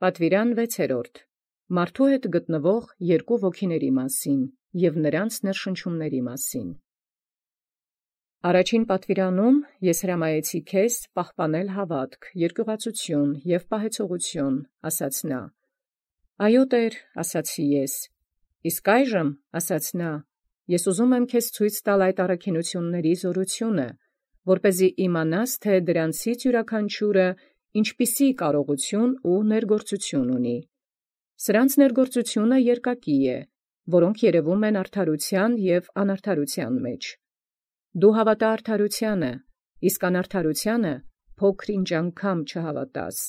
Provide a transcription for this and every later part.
Պատվիրան 6. Մարդու հետ գտնվող երկու ոգիների մասին և նրանց ներշնչումների մասին։ Առաջին պատվիրանում ես հրամայեցի քեզ պահպանել հաւատք, երկյուղածություն և պահեցողություն, ասաց նա. «Այո Տէր, ասացի ես, իսկ այժմ, ասաց նա, ես ուզում եմ քեզ ցույց տալ այդ առաքինութիւնների զօրութիւնը, որպէզի իմանաս, թէ դրանցից յուրաքանչիւրը ինչպիսի կարողութիւն ու ներգործութիւն ունի։ Սրանց ներգործութիւնը երկակի է, որոնք երևում են արդարութեան և անարդարութեան մեջ։ Դու հաւատա արդարութեանը, իսկ անարդարութեանը փոքր-ինչ անգամ չհաւատաս,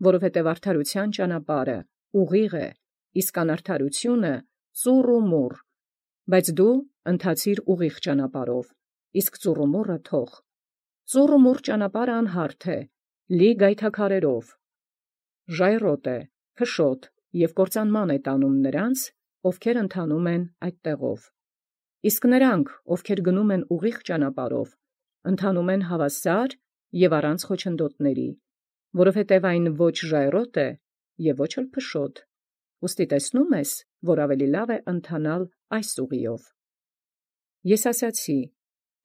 որովհետև արդարութեան ճանապարհը ուղիղ է, իսկ անարդարութիւնը ծուռ ու մուռ, բայց դու ընթացիր ուղիղ ճանապարհով, իսկ ծուռումուռը թող։ Ծուռ ու մուռ ճանապարհը անհարթ է, լի գայթաքարերով, ժայռոտ է, փշոտ և կործանման է տանում նրանց, ովքեր ընթանում են այդ տեղով։ Իսկ նրանք, ովքեր գնում են ուղիղ ճանապարհով, ընթանում են հաւասար և առանց խոչընդոտների, որովհետև այն ոչ ժայռոտ է և ոչ էլ փշոտ։ Ուստի տեսնում ես, որ ավելի լավ է ընթանալ այս ուղիով։ Ես ասացի.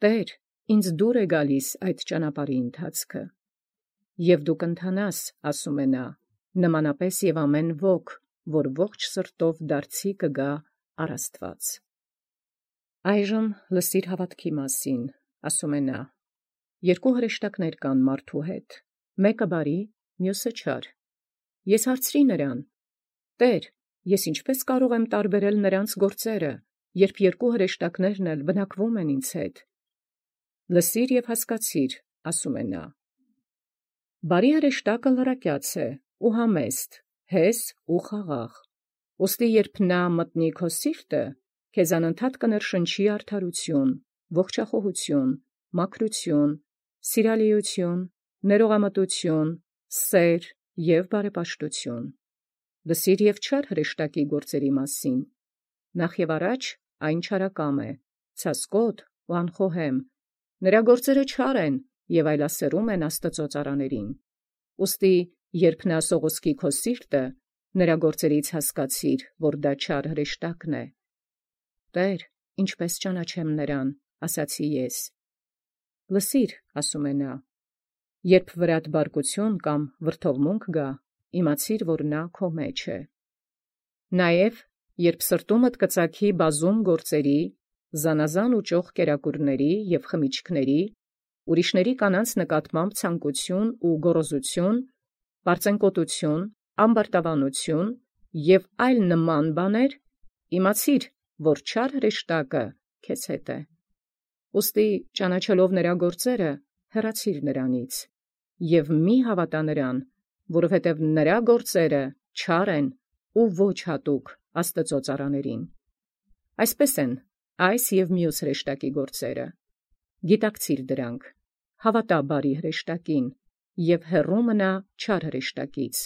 «Տէր, ինձ դուր է գալիս այդ ճանապարհի ընթացքը»։ Եվ դու կընթանաս, ասում է նա, նմանապես և ամեն ոք, որ ողջ սրտով դարձի կգա առ Աստուած։ Այժմ լսիր հաւատքի մասին, ասում է նա. երկու հրեշտակներ կան մարդու հետ, մեկը բարի, մյուսը չար։ Ես հարցրի նրան. «Տէր, ես ինչպե՞ս կարող եմ տարբերել նրանց գործերը, երբ երկու հրեշտակներն էլ բնակվում են ինձ հետ»։ Լսիր և հասկացիր, ասում է նա. բարի հրեշտակը լրակյաց է ու համեստ, հես ու խաղաղ։ Ուստի երբ նա մտնի քո սիրտը, քեզ անընդհատ կներշնչի արդարութիւն, ողջախոհութիւն, մաքրութիւն, սիրալիութիւն, ներողամտութիւն, սեր և բարեպաշտութիւն։ Լսիր և չար հրեշտակի գործերի մասին. նախ և առաջ այն չարակամ է, ցասկոտ ու անխոհեմ, նրա գործերը չար են և այլասերում են Աստուծոյ ծառաներին։ Ուստի երբ նա սողոսկի քո սիրտը, նրա գործերից հասկացիր, որ դա չար հրեշտակն է։ Տէր, ինչպե՞ս ճանաչեմ նրան, ասացի ես։ Լսիր, ասում է նա. երբ վրադ բարկություն կամ վրդովմունք գա, իմացիր, որ նա քո մեջ է։ Նաև երբ սրտումդ կծագի բազում գործերի, զանազան ու ճոխ կերակուրների և խմիչքների, ուրիշների կանանց նկատմամբ ցանկություն ու գոռոզություն, պարծենկոտություն, ամբարտավանություն և այլ նման բաներ, իմացիր, որ չար հրեշտակը քեզ հետ է։ Ուստի ճանաչելով նրա գործերը, հեռացիր նրանից և մի հաւատա նրան, որովհետև նրա գործերը չար են ու ոչ հատուկ Աստուծոյ ծառաներին։ Այսպես են այս և մյուս հրեշտակի գործերը. գիտակցիր դրանք, հաւատա բարի հրեշտակին և հեռու մնա չար հրեշտակից,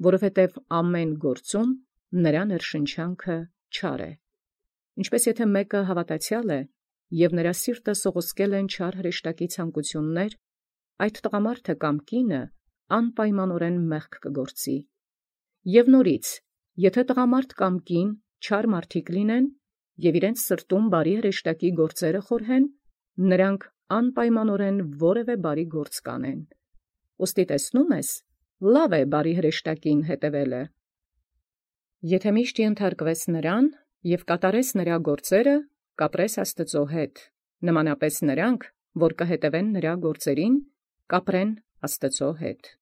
որովհետև ամեն գործում նրա ներշնչանքը չար է։ Ինչպէս եթէ մեկը հաւատացեալ է, և նրա սիրտը սողոսկել են չար հրեշտակի ցանկութիւններ, այդ տղամարդը կամ կինը անպայմանորեն մեղք կգործի։ Եւ նորից, եթե տղամարդ կամ կին չար մարդիկ լինեն և իրենց սրտում բարի հրեշտակի գործերը խորհեն, նրանք անպայմանորեն որևէ բարի գործ կանեն։ Ուստի տեսնում ես, լավ է բարի հրեշտակին հետևելը։ Եթե միշտ ենթարկվես նրան և կատարես նրա գործերը, կապրես Աստուծոյ հետ, նմանապես նրանք, որ կհետևեն նրա գործերին, կապրեն Աստուծոյ հետ։